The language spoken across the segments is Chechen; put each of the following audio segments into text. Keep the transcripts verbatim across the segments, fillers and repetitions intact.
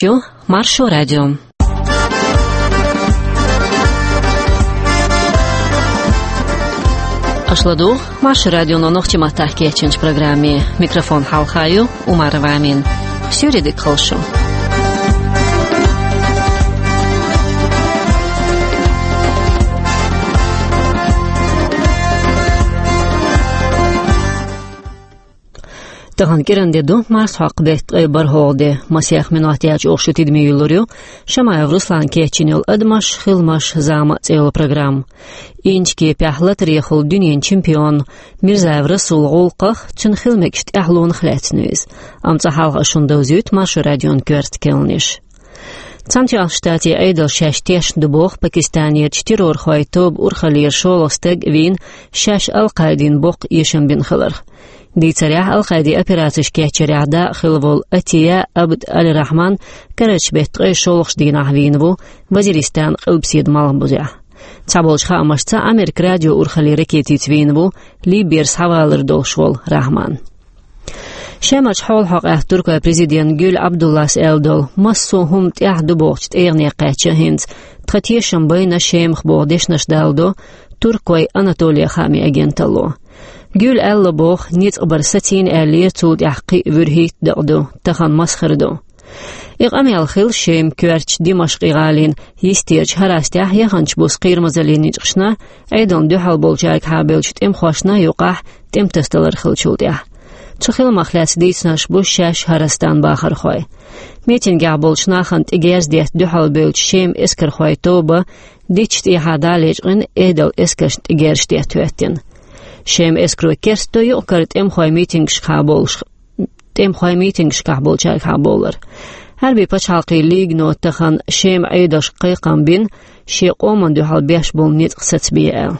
Ю, Маршо радио. Аша ладугӀу Маршо радионо нохчийн маттахь кечйинчу программе. Микрофон хьалха ю Умарова Амина. Суьйре дика хуьлда шу. Тахана кӀиран де ду, марсхьокху беттан ткъе бархӀалгӀа де. Масех минот яьлча оха шу тидаме юьллур ю Шамаев Руслана кечйина йолу «Адамаш, хиламаш, зама» цӀе йолу программа. Инчу кепехь латарехула дуьненан чемпион Мирзаев Расулан гӀуллакхах, цуьнан хила мегаш тӀаьхьалонах лаьцна ю иза. Амма цкъа хьалха шуна довзуьйту Маршо радион коьрта керланаш. Цхьаьнатоьхначу Штатийн Ӏедало шаьш тешна ду боху Пакистанерчу террорхойн тоба урхаллера шолгӀа стаг вийна, шаьш Ал-Къаидин боккха эшам бина хиларх. Дийцарехь, Ал-Къаидин операцеш кечъярехь дакъа хилла волу Атия Абд Аль-Рахьман карарчу беттан ткъе шолгӀачу дийнахь вийна ву Вазиристанан къилбаседа малхбузехь. Цхьаболчу хаамашца, Америкин радио урхаллин ракетица вийна ву Либера схьавалар долуш волу Рахьман. Шемарчу хьолахьокъехь туркойн президента Гюль Абдуллас аьлла долу, массо а хӀума тӀехь ду бохучу тӀегӀане кхаьчна хӀинца, тхан тешам байна Шемах боху дешнаш даладо туркойн «Анатолия» хаамийн агенталло. Гюль аьлла боху, ницкъ бар сацийна аьллера, цул тӀаьхьа кхин а вуьрхӀитта дакъа ду, тахана масхара ду. И къамел хилла Шеман коьртачу Димашкъ-гӀалин йистерчу хӀарастехь яханчу буса кхерамазаллин ницкъашна, Ӏедална дуьхьал болчаьрга хьабевллачу тӀемахошна юкъахь тӀематасадалар хиллачул тӀаьхьа. Цу хиламах лаьцна дийцинарш бу шаьш хӀарастан бахархой. Митингехь болчу нахана тӀе герз детта дуьхьал бевллачу Шеман эскархойн тоба дитташ тӀехьа дӀа а лечкъина, Ӏедалан эскаршна тӀе герзаш детта хӀоьттина. Шеман эскаро керста до юкъ-кара тӀемахой митингашкахь болуш тӀемахой митингашкахь болчаьрга хьабовлар. Ӏаьрбийн пачхьалкхийн лигано тахана Шеман Ӏедалшка кхайкхам бина, шен къоманна дуьхьал беш болу ницкъ сацабе аьлла.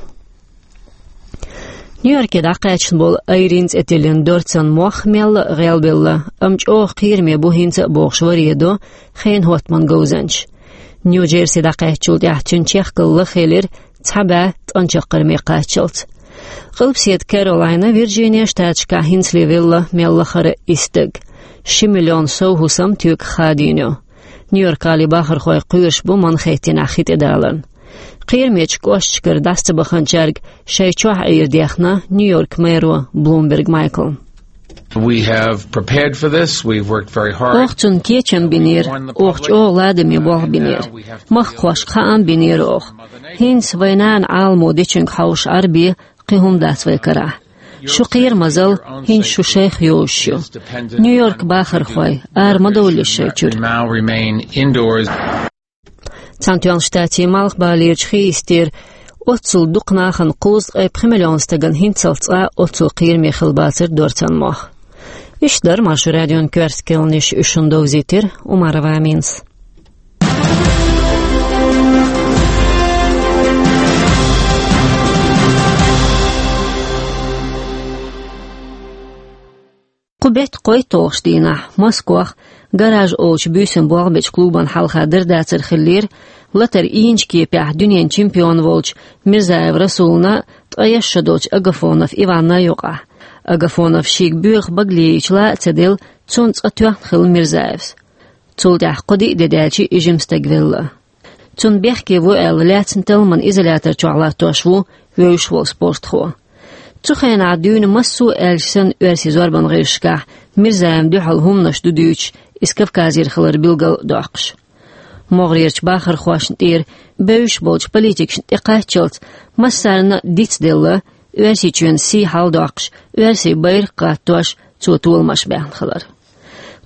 Нью-Йорке дӀакхаьчна болу Айрин цӀе тиллина дорцан мох мелла а гӀелбелла, амма чӀогӀа кхераме бу хӀинца а бохуш варе до хенан хӀоттаман говзанчаш. Нью-Джерси дӀакхаьчначул тӀаьхьа цуьнан чехкалла хилира цхьа бӀе ткъанчаккхарме кхаччалц. Къилбаседа Каролайна, Вирджиния штаташкахь хӀинцале велла мел лахара исс стаг. Ши миллион сов хӀусам тоьках хадийна ю. Нью-Йорк-гӀалин бахархой кхоьруш бу Манхэттенехь хи тӀедаларна. Кхерамечу кӀошташкара дӀаса ца баханчаьрга шайн чохь Ӏийр дехна Нью-Йорк-мэро Блумберг Майкла. We have prepared for this. We've worked very hard. Оха цунна кечам бинера, оха чӀогӀа ладаме болх бинера. Махкахошка хаам бинера оха. ХӀинца вайн нана Ӏаламо дечуьнга хьовша Ӏарбе кхин хӀума дац вай карахь. Шу кхерамазалла хӀинца шу шайх йозуш ю. Нью-Йорк бахархой, ара ма довлалаш шайн чуьра. Now remain indoors. Цхьаьнатоьхначу Штатийн Малхбалерчу хи йистера оццул дукха нахана кхузткъе пхи миллион стагана хӀинццалц цкъа оццул кхераме хилла бацара дорцан мох. Иштта дара Маршо радион коьрта керланаш, уьш шуна довзийтира Умарова Аминас. Кху беттан кхойтталгӀачу дийнахь Москвахь «Гараж» олучу буьйсанна болх бечу клубана хьалха дар-дацар хиллера латар ийначу кепехь дуьненан чемпион волчу Мирзаев Расулна, ткъе исс шо долчу Агафонов Иванна юкъахь. Агафонов шега боьха багале йича ла а ца делла, цунна цкъа тоьхна хилла Мирзаевс. Цул тӀаьхьа кхо-диъ де даьлча и жима стаг велла. Цунна бехке ву аьлла, лаьцна талламан изолятор чохь латтош ву вевзаш волу спортхо. Цу хенахь дуьйна массо а аьлча санна оьрсийн зорбан гӀирсашкахь Мирзаевна дуьхьал хӀуманаш ду дуьйцуш, иза Кавказера хилар билгал а доккхуш. МогӀарерчу бахархошна тӀера бевзаш болчу политикашна тӀекхаччалц массарна а дицделла, Оьрсийчоьнан сий хьаладоккхуш, оьрсийн байракх гӀаттош, цо толамаш баьхна хилар.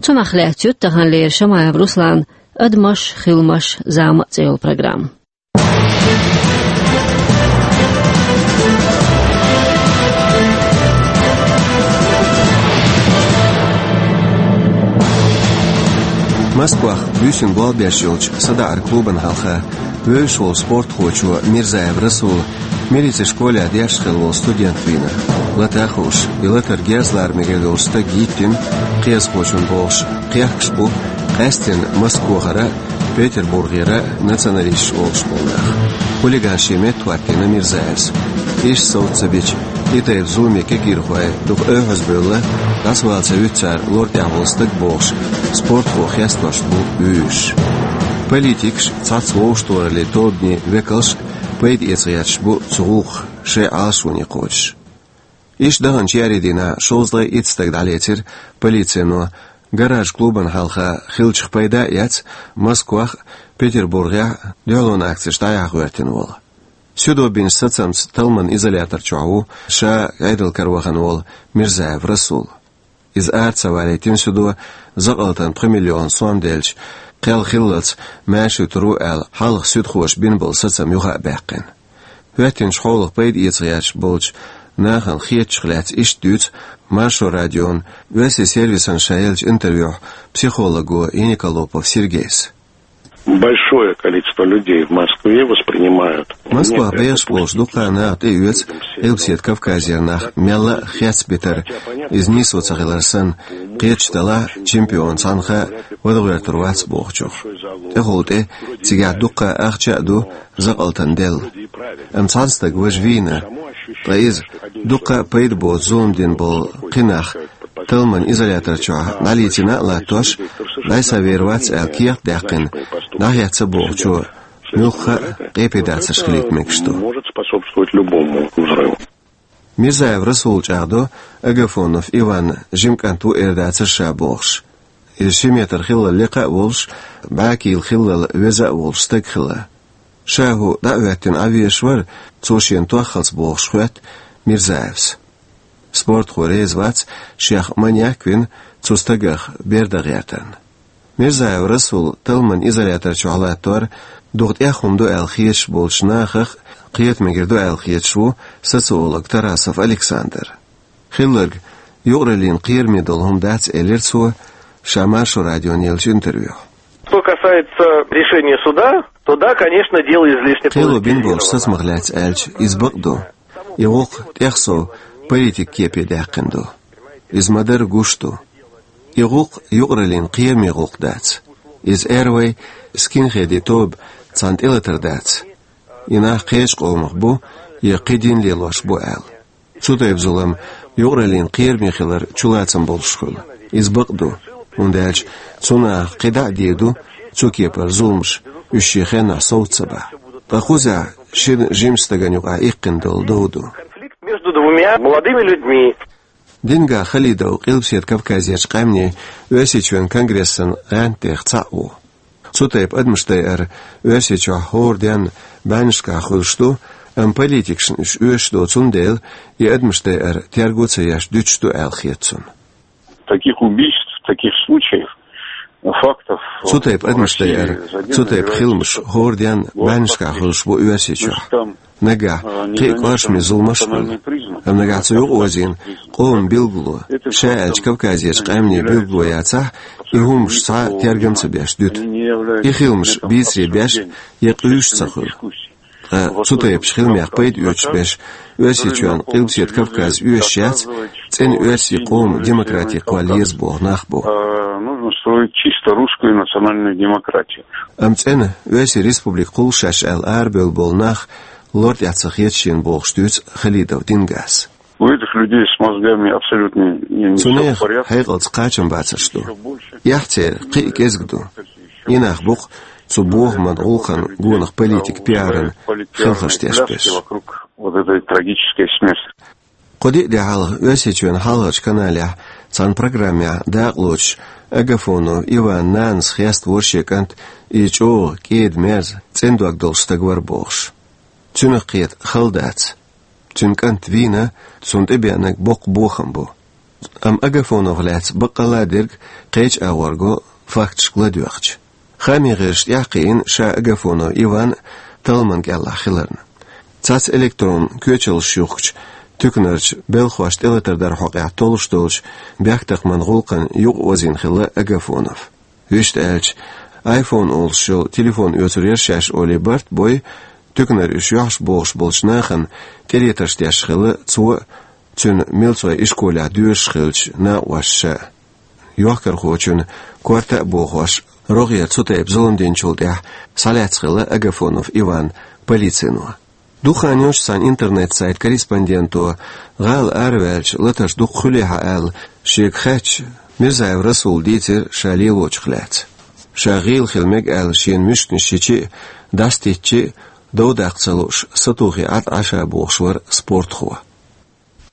Цунах лаьцна ю таханлера Шамаев Русланан «Адамаш, хиламаш, зама» цӀе йолу программа. Москвахь буьйсанна болх беш йолчу садаӀаран клубана хьалха вевзаш волу спортхочо Мирзаев Расула милицин школехь дешна хилла волу студент вийна. Лата а хууш, и латар герз лара мегар долчу стага йиттина, кхиазхочунна бохуш, кхехкаш бу къаьсттина Москвахара, Петербургера националисташ олуш болу нах. Хулиган шен метта хӀоттийна Мирзаевс. Иштта совца ца бича, И тайпа зуламе кегийрхой дукха оьхьаз бевлла, дӀасавала ца вуьту цара лор тӀехь волу стаг бохуш, спортхо хестош бу вуьйш. Политикаш, цхьацца вовшахтохараллин тобанийн векалш а пайда эца гӀерташ бу цу гӀуллакхах шайн Ӏалашоне кхочуш. Иштта даханчу еарин дийнахь шовзткъе итт стаг дӀалецира полицино, гараж-клубана хьалха хиллачух пайда а эцна, Москвахь а, Петербургехь а дуьхьалонан акцеш дӀаяхьа гӀоьртина волу. Суьдо бинчу сацамца талламан изолятор чохь ву ша Ӏедал каравахана волу Мирзаев Расул. Иза ара ца валийтина суьдо, закъалтана пхи миллион сом делча, кхел хиллалц маьрша вуьтур ву аьлла, хьалха суьдхоша бина болу сацам юха а баьккхина. ХӀоьттинчу хьолах пайда эца гӀерташ болчу нахана хетачух лаьцна иштта дуьйцу Маршо радион оьрсийн сервисана ша еллачу интервьюхь психолого Яниколопов Сергейс. Большое количество людей в Москве воспринимают Москвахь бехаш болчу дуккха а наха тӀеоьцу Къилбаседа Кавказера нах мелла а хецна битар, иза нийсо ца хилар санна, кхеташ далахь, чемпион цхьанхьа а вада гӀоьртур вац бохучух. ТӀехула тӀе цигахь дуккха а ахча а ду, закъалтана делла. Амма цхьана стага важа вийна, ткъа иза дуккха а пайда боцу зулам дина болу кхин нах талламан изолятор чохь дӀалецийна а латтош, дӀасавер вац аьлла кехат даьккхина, дӀахецна бохучо муьлхха а къепедацарш хилийта мегаш ду. Может способствовать любому взрыву. Мирзаев Расул чӀагӀдо, Агафонов Иван жима кӀант ву эр дацара ша бохуш. Иза ши метр хиллал лекха а волуш, бӀаькийла хиллал веза а волуш стаг хилла. Ша хӀу дӀа а хӀоьттина Ӏан везаш вара, цо шена тоххалц бохуш хоьтту Мирзаевс. Спортхо реза вац, шех маньяк а вина, цу стагах бер дан гӀертарна. Мирзаев Расул талламан изолятор чохь латтор дукха тӀех хӀума ду аьлла хеташ болчу нахах а кхета мегар ду аьлла хеташ ву социолог Тарасов Александр. Хилларг юкъараллин кхераме долу хӀума дац, элира цо ша Маршо радиона еллачу интервьюхь. Что касается решения суда, то да, конечно, дело излишне политизировано. Кхело бина болчу сацамах лаьцна аьлча, иза бакъ ду. И гӀуллакх тӀех сов политик кепе даьккхина ду. Иза ма-дарра гуш ду. И гӀуллакх юкъараллин кхераме гӀуллакх дац. Иза аьрру вай скинхедийн тоба цхьана тӀелатар дац. И нах кхечу къомах бу, я кхин дин лелош бу аьлла. Цу тайпа зулам юкъараллин кхераме хилар чулацам болуш хуьлу. Иза бакъ ду, хӀунда аьлча цу нахах кхин дӀа а дийр ду цу кепара зуламаш, уьш шен хеннахь совца ца бахь. Ткъа кхузахь шина жимачу стагана юкъахь иккхина долу дов ду. Конфликт между двумя молодыми людьми. Дингас Халидов Къилбаседа Кавказерчу къаьмнийн Оьрсийчоьнан конгрессан гӀантдех цхьаъ ву. Цу тайпа адамаш дайар Оьрсийчохь хӀора денна бӀаьннашкахь хуьлуш ду, амма политикашна уьш оьшуш доцу, цундела и адамаш дайар терго ца еш дуьтуш ду аьлла хета цунна. Таких убийств, таких случаев, фактов... Цу тайпа адамаш дайар, цу тайпа хиламаш хӀора денна бӀаьннашкахь хуьлуш бу Оьрсийчохь. Нагахь кхин а кӀоршаме зуламаш а хуьлу. Амма нагахь цу юкъаозийна къоман билгало, ша аьлча Кавказерчу къаьмнийн билгало яцахь, и хӀумаш цхьа а тергам ца беш дуьту. И хиламаш бийцаре беш я къуьйсуш ца хуьлу. Ткъа цу тайпачу хиламех пайда оьцуш берш Оьрсийчоьнан Къилбаседа Кавказ оьшуш яц, цӀена оьрсийн къоман демократи кхолла еза боху нах бу. Нужно строить чисто русскую национальную демократию. Амма цӀена оьрсийн республика кхуллуш ю шаьш аьлла арабевлла болу нах лор тӀехь ца хета шена бохуш дуьйцу Халидов Дингас. У этих людей с мозгами абсолютно не всё в порядке. Цу нехан хьекъалца кхачамбацарш ду. Эхь церан кхин а кӀезиг ду. И нах бу-кх цу бохаман гӀуллакхан гонах политикан пиаран хелхарш тешнарш. Вокруг вот этой трагической смерти. Кхо-диъ де хьалха Оьрсийчоьнан хьалхарчу каналехь цхьана программехь дакъалоцуш Агафонов Иванан нанас хеставора шен кӀант, и чӀогӀа кӀеда-мерза, цӀена дог долуш стаг вара бохуш. Цуьнах кхета хала дац. Цуьнан кӀант вийна, цунна тӀебеанарг боккха бохам бу. Амма Агафоновх лаьцна баккъалла а дерг кхечу агӀор го, факташка ладоьгӀча. Хаамийн гӀирсаша тӀаьхьакхиъна ша Агафонов Иван талламан кӀелахь хиларна. Цхьацца электрон коьчаллаш юхкучу туьканарчу белхахошна тӀелатар дар хьокъехь толлуш долчу бехктакхаман гӀуллакхана юкъаозийна хилла Агафонов. Вуьшта аьлча, айфон олуш йолу телефон оьцур яра шаьш олий барт а бой, туьканара уьш йохьуш бохуш болчу нахана тӀелетарш деш хилла цо а, цуьнан милцойн ишколехь доьшуш хиллачу накъоша ша а. Йохкархочун корта а бохош, рогӀера цу тайпа зулам динчул тӀаьхьа схьалаьцна хилла Агафонов Иван полицино. Дукха хан йолчу цхьана интернет-сайт корреспонденто, гӀала араваьлча латарш дукха хуьлий хьан аьлла, шега хаьттича, Мирзаев Расула дийцира ша лелочух лаьцна. Ша гӀийла хила мега аьлла шена муьшканаш йича а, дӀасатеттича а, дов даккха ца лууш, сатохий Ӏад Ӏаша бохуш вара спортхо.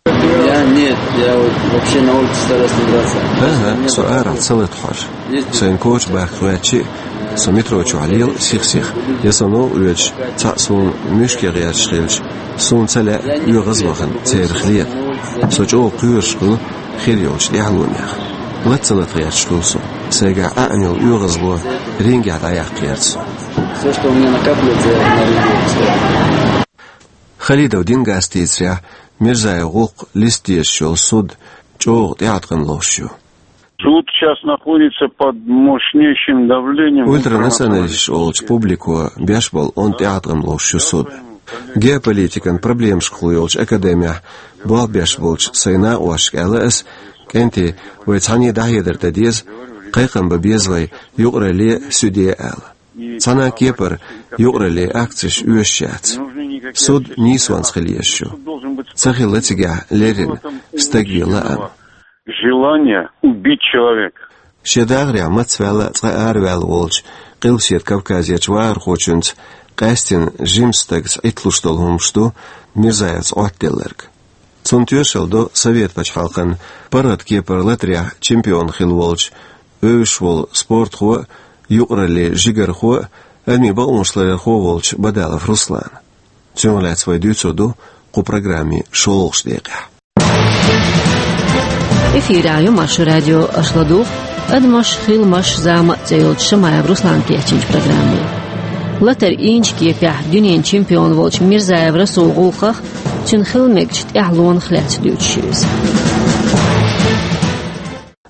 Я нет, я вот вообще на улице стараюсь не драться. ХӀан-хӀа, со арахь ца лата хьожа. Сайна коча баккха гӀоьттича а, со метро чохь лела сих-сиха, я со новкъа оьцуш, цхьаъ суна муьшке гӀерташ хилча, суна ца лаьа оьгӀазвахана церах лета. Со чӀогӀа кхоьруш хуьлу хир йолчу тӀаьхьалонех. Лата ца лата гӀерташ хуьлу со. Сайгахь Ӏаьнна йолу оьгӀазло рингехь дӀаяккха гӀерта со. Всё, что у меня накапливается, я на ринге выпускаю. Халидов Дингас дийцарехь, Мирзаев гӀуллакх листа дезаш йолу суд чӀогӀа тӀеӀаткъам ловш ю. Суд сейчас находится под мощнейшим давлением. Ультранационалисташ олучу публико беш болу онда тӀеӀаткъам ловш ю суд. Геополитикан проблемашкахула йолчу академехь болх беш болчу сайн накъосташка аьлла ас, кӀентий, вай цхьаьна дӀахьедар дан деза, кхайкхам бан беза вай юкъаралле а, суьде а аьлла. Цхьана а кепара юкъаралле акцеш оьшуш яц. Суд нийсонца хила езаш ю. Ца хилла цигахь леррина стаг вен лаам. Желание убить человека. Шен дагӀарехь мацваьлла а, цкъа араваьлла волчу Къилбаседа Кавказерчу вахархочуьнца къаьстина жимачу стагца Ӏитталуш долу хӀумаш ду Мирзаевца Ӏоттаделларг. Цунна тоьшалла до Совет пачхьалкхан паргӀат кепара латарехь чемпион хилла волчу, вевзаш волу спортхо а, юкъаралле жигархо а, адамийн бакъонаш ларъярхо а волчу Бадалов Руслана. Цунах лаьцна вай дуьйцур ду кху программин шолгӀачу декъехь. Эфирехь ю Маршо радио, аша ладугӀу «Адамаш, хиламаш, зама» цӀе йолчу Шамаев Руслана кечйинчу программе. Латар ийначу кепехь дуьненан чемпион волчу Мирзаев Расулан гӀуллакхах, цуьнан хила мегачу тӀаьхьалонах лаьцна дуьйцуш ю иза.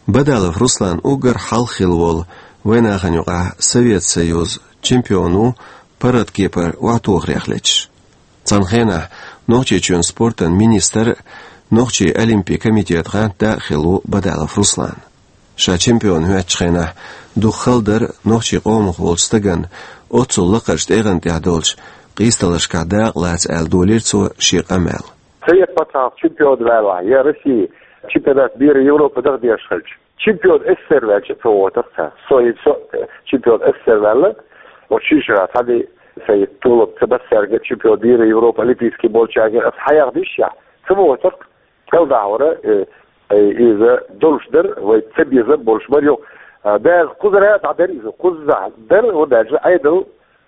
Бадалов Руслан уггар хьалха хилла волу, вайнахана юкъахь Совет Союзан чемпион ву, паргӀат кепара охьатохарех леташ. Цхьана хенахь Нохчийчоьнан спортан министр а, Нохчийн олимпийн комитетан гӀантда а хилла ву Бадалов Руслан. Ша чемпион хӀоьттучу хенахь дукха хала дара нохчийн къомах волчу стагана оццул лакхарчу тӀегӀан тӀехь долчу къийсадаларшкахь дакъа лаца аьлла, долийра цо шен къамел. Совет пачхьалкх чемпион ваьлла, я Россия чемпионат мира, Европы даха дезаш хилча, чемпион СССР ваьлча а ца вохуьйтура цара. Со, со чемпион СССР ваьлла, вот ши шара цхьаьна сайн толам ца баьссаьрга, чемпион мира, Европы, олимпийский болчаьрга аса хьаяхна йиш яц, ца вохуьйтура. Кхел дахьара, э, э, иза долуш дара, вай ца безам болуш бара юха. А, баьрга кхузара дӀадара иза, кхузза дара, хӀунда аьлча Ӏедал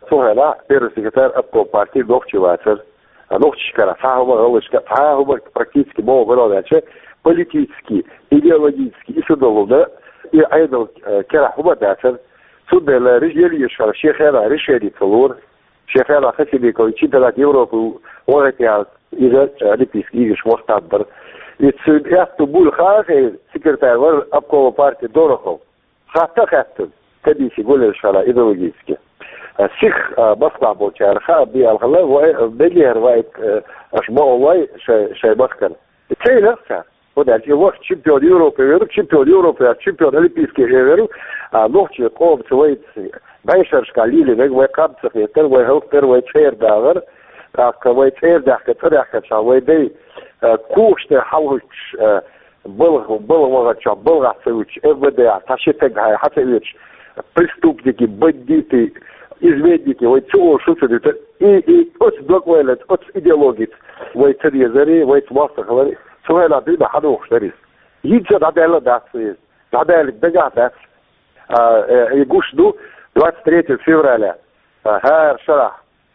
цу хенахь первый секретарь обком партии нохчи вацара. А нохчашкара цхьа хӀума, гӀалгӀашка цхьа хӀума практически ма вара аьлча, политически, идеологически, и сан долу да, и Ӏедал, э, керахь хӀума дацара. Цундела реш-, ели ешхара шен хенахь решение ца лора. Шен хенахь Хасимиков чемпионат Европы вахийтина, иза олимпийский играш вахтам бара. И цуьнан аьтту буьйлу хаа хир, секретарь вара обкома партии Дорохов. Хатта а хаьттина, комисси гулъеш хилла идеологически. Сих, а, Москвахь болчара хаа бен аьлла хилла, вай, мегар вай, а, аша ма оллой шай, шай махкара. И ца йинарх цара. ХӀунда аьлча и вахт чемпион Европы веру, чемпион Европы веру, чемпион олимпийский веру, а, нохчийн къомаца вай бӀешерашкахь лелийнарг, вай къам ца хетар, вай хӀаллакдар, вай цӀера дагӀар, тӀаккха вай цӀера даьхкина, цӀа даьхкинчохь вай дай, а, когаш тӀе хьалхуьттуш, а, балха, балха ваханчохь балхахь ца вуьтуш, МВД-хь цхьа ши стаг хьа, хьа ца оьцуш, преступники, бандиты, изменники, вай ца олуш шу ца дуьтура. И, и оцу дог вайланца, оцу идеологица вай ца дезари, вайца мостагӀалари, цу хенахь дуьйна хьадохуш дара иза. ХӀинца дӀадаьлла дац иза. ДӀадаьлларг дагахь дац. А, э, и гуш ду двадцать третьего февраля, а, хӀара шарахь,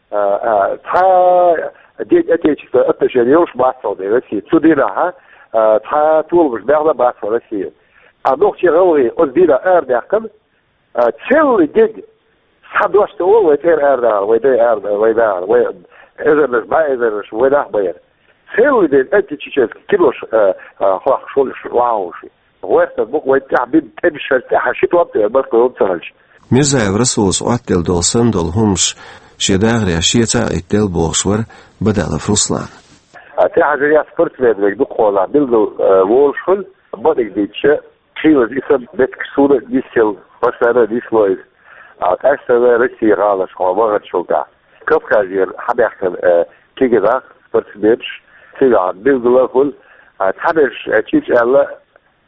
а, а, цхьа День Отечества отношения йолуш бац хьо де Россия. Цу дийнахь, а, цхьа толамаш баьхна бац хьо Россия. А нохчий, гӀалгӀай оцу дийнахь арадаьккхина, а, целый день схьа дош ца олу вай цӀера арадахар, вай дай арада-, вай дахар, вай эзарнаш, бӀе эзарнаш вай нах бан яра. Целый день античеченский кинош, а, а, хьоьхуш волуш, вахьуш. ГӀоьртан букъ вай тӀехь бина тӀемаш шар тӀехь ши том тӀе баркалла ца хилча. Мирзаев Расулас Ӏоттаделла долу санна долу хӀумаш шен дагӀарехь шеца а Ӏиттаделла бохуш вара Бадалов Руслан. А, тӀехьажа я спортсмен вега дукхахьолахь билггал, а, волуш хуьлу, бакъдерг дийцича, хийлаза и сан меттигаш суна нисъелла, постоянно нисло иза. А, къаьстина Россия гӀалашкахь вахарчул тӀаьхьа. Кавказера хьабаьхкина, а, кегий нах, спортсменаш, цигахь билггал а хуьлу, а, цхьаберш, а, чӀичӀ аьлла,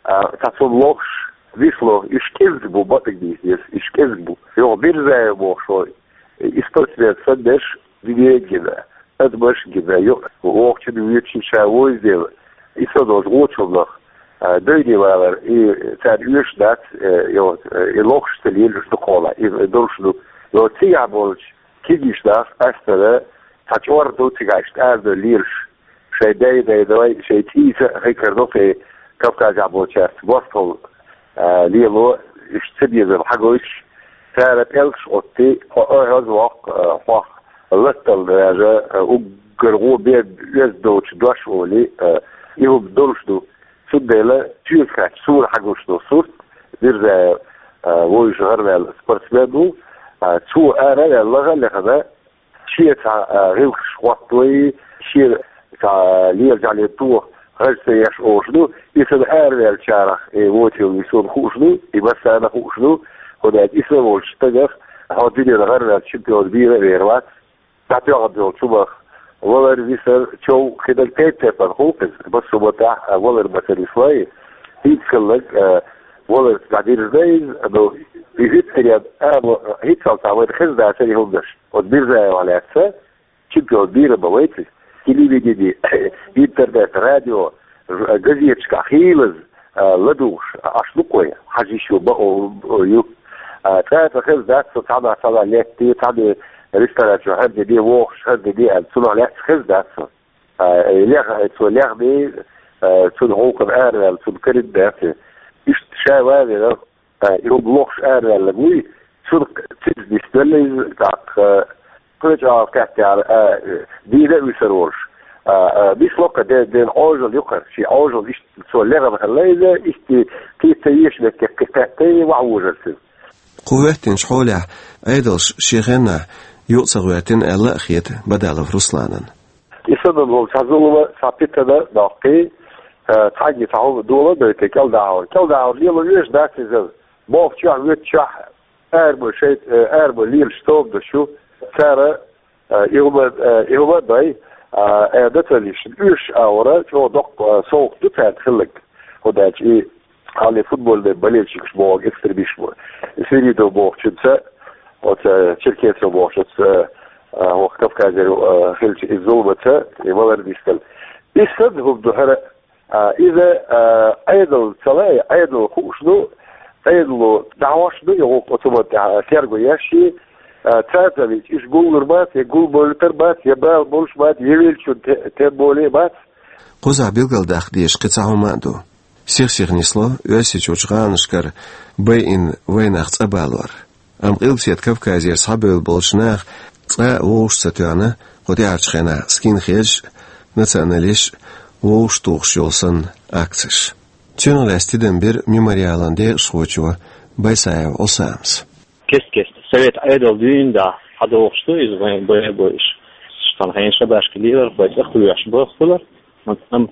а, цхьа цунна лохуш, висло, уьш кӀезиг бу, бакъдерг дийцича, уьш кӀезиг бу. Юха Мирзаев бохуш ву, и спортсмен санна берш, дуьненна гина, адамашна гина, ю-, вокхучунна вуьйцучунна ша вуьйцу дела, и ца долчу вочу хӀуманах, а, девне валар, и царна оьшуш дац, э, и вот, э, и лохуш ца лелаш дукха хьолахь, и долуш ду. И вот цигахь болчу кегийчу нах къаьстина цхьа чӀор ду цигахь иштта арадевлла лелаш. Шайн дай-дай-дай, шайн цӀийца а хи карадо кхин Кавказехь болчаьрца мостагӀалла, а, лело, иштта цабезам хьагойтуш, цара пӀелгаш Ӏотти, хьо ойхьаз воккху, а, хьох латтал даже, а, уггар гӀо бен оьзда доцучу дош олий, а, и хӀума долуш ду. Цундела чоьхьа кхаьчча суна хьагуш ду сурт, Мирзаев, а, вовшийн гӀараваьлла спортсмен ву, а, цо ара а ваьлла, лаха а лехна, шен цхьа, а, гӀиллакхаш хӀоттадой, шен цхьа лела жӀалин тоха хаза ца еш олуш ду, и санна араваьллачарах, и вочу висуна хууш ду, и массарна хууш ду, хӀунда аьлча и санна волчу стагах хьо дуьненан гӀараваьлла чемпион бийр а бийр вац, дӀатоьхна долчу хӀумах. Валар, висар, чов, кхидерг тайп-тайпана хуьлу иза, массо а маттахь, а, валар ма ца нислой, хӀинца хилларг, а, валар дӀадирзина иза, ну, и хӀуьттаренна, а, мо-, хӀинццалц а вайна хезна дацара и хӀуманаш. Оцу Мирзаевах лаьцна чемпион бийр а ма вайца иза. Телевидени, интернет, радио, ж-, газеташкахь хийлаза, а, ладугӀуш, а, Ӏаш ду-кх вай, хьажа йиш ю, бакъо, о, ю. А, цкъа а ца хезна дац со, цхьаннах цхьаннах летте, цхьанне ресторан чу хӀара де де, вохуш хӀара де де аьлла, цунах лаьцна хезна дац со. А, леха, цо лехний, а, цунна гӀуллакхана араваьлла, цунна карийна дац. Иштта ша ван а вина, а, и хӀума лохуш араваьлларг вуй, цунах цига нисделла иза, тӀаккха, кхечу агӀор кхеттера, а, дийна а вуьсур волуш. А, а, нисло-кх де-, ден Ӏожалла ю-кх, шен Ӏожалла иштта цо лехна хилла иза, иштта кхин ца езаш меттиг кхин кхетта, ваха вужура цуьнан. Кху хӀоьттинчу хьолехь Ӏедалш шен хеннахь юкъа ца гӀоьртина аьлла а хета Бадалов Русланна. И санна волу цхьа зулам, цхьа питана доккхий, а, цхьаьнгге цхьа хӀума дола а дойтий, кӀелдахьур. КӀелдахьур лело оьшуш дац иза. Бохучохь, воьдучохь, арабо шайта, э, арабо лелаш тоба даш ю. Цара, э, и хӀума, э, и хӀума а дой, а, э, националисташна оьшуш агӀора чӀогӀа доккха, э, совгӀат ду цаьрца хилларг. ХӀунда аьлча и хьале футбольный болельщикаш бохург, экстремисташ бу. Свиридов бохучуьнца, оцу, э, Черкесов бохучуьнца, э, э, хӀокху Кавказера, э, хилча иза зуламца, и валар дистина. И санна хӀума ду хӀара, а, иза, а, Ӏедал ца лай, Ӏедал хууш ду, Ӏедало дӀахьош ду, и гӀуллакх оцу ма тӀехь терго еш, а, цаьрца вича, иша гуллур бац, я гулбевллийтар бац, я бала болуш бац, я веллачун те-, тем более бац. Кхузахь билгалдаккха дезаш кхин цхьа хӀума а ду. Сих-сиха нисло Оьрсийчуьрчу гӀаланашкара байина вайнах цӀа балор. Амма Къилбаседа Кавказера схьабевлла болчу наха цкъа а вовшах ца тоьхна кху тӀаьхьарчу хенахь скинхедаш а, националисташ а вовшах тухуш йолу санна акцеш. Цунах лаьцна тидам бира Мемориалан декъашхочо Байсаев Ӏусамас. Кест-кеста совет Ӏедал дуьйна дӀа хьадохуш ду иза вайн бай-, бойуш. Цхьана хенахь шабашка лелар, вай цӀа кхоьхьуш баххалар. Амма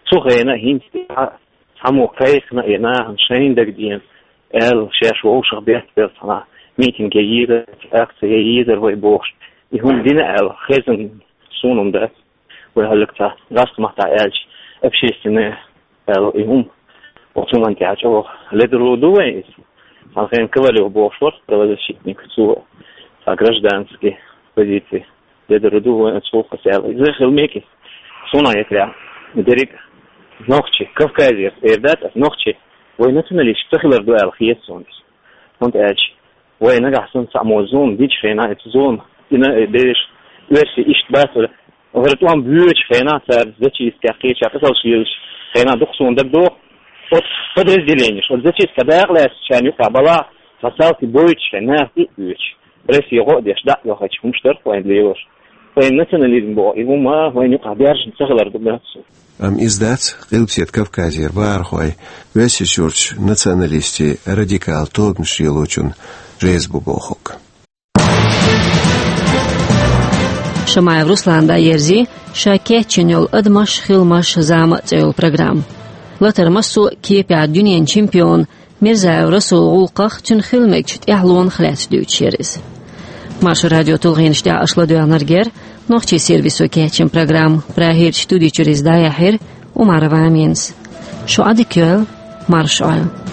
цу хенахь хӀинца тӀехь цхьаммо кхайкхина, я нахана шайна дагадеана аьлла, шаьш вовшах беттабелла цхьана митинге йийр, акция йийр вай бохуш. И хӀума дина аьлла, хезна суна хӀума дац. Вай хьаллаг цхьа гӀазкхийн маттахь аьлча, общественное аьлла, и хӀума оцу хӀуманна тӀехь чӀогӀа ледарло ду вайн иза. Цхьана хенахь Ковалев бохуш вара правозащитник, цо цхьа гражданский позиция ледарло ду вайн оцу гӀуллакхца аьлла. Иза хила мега. Суна хетарехь, дерриг нохчий, Кавказера эр дац ас, нохчий, вай националисташ ца хилар ду аьлла хета суна иза. ХӀунда аьлча вай нагахь санна цхьаммо зулам динчу хенахь, оцу зулам дина берш, оьрсий иштта бац вара. ХӀара тӀом боьдучу хенахь, цара зачисткех кхеча кхеталш йиллачу хенахь дукха суна дагадогӀу. Оцу подразделенеш, оцу зачистка дакъа лаьцначарна юкъахь балахь, цхьа салти бойтуш хенахь, и а боьдуш. Россия гӀо а деш, дӀа а йохуьйтуш хӀумаш дара вайн лелош. Вайн национализм боху, и хӀума вайн юкъахь баьржина ца хилар ду моьтту суна. Амма иза дац Къилбаседа Кавказера бахархой Оьрсийчуьрчу националистийн радикал тобанаш лелочунна реза бу бохург. Шамаев Руслана дӀаерзий ша кечйина йолу «Адамаш, хиламаш, зама» цӀе йолу программа. Латар массо а кепехь дуьненан чемпион Мирзаев Расулан гӀуллакхах, цуьнан хила мегачу тӀаьхьалонах лаьцна дуьйцуш яра иза. Маршо радион тулгӀенаш тӀехь аша ладоьгӀнарг яра Нохчийн сервисо кечйина программа. Прагерчу студи чуьра иза дӀаяьхьира Умарова Аминас. Шу Ӏадика йойла, марша Ӏойла.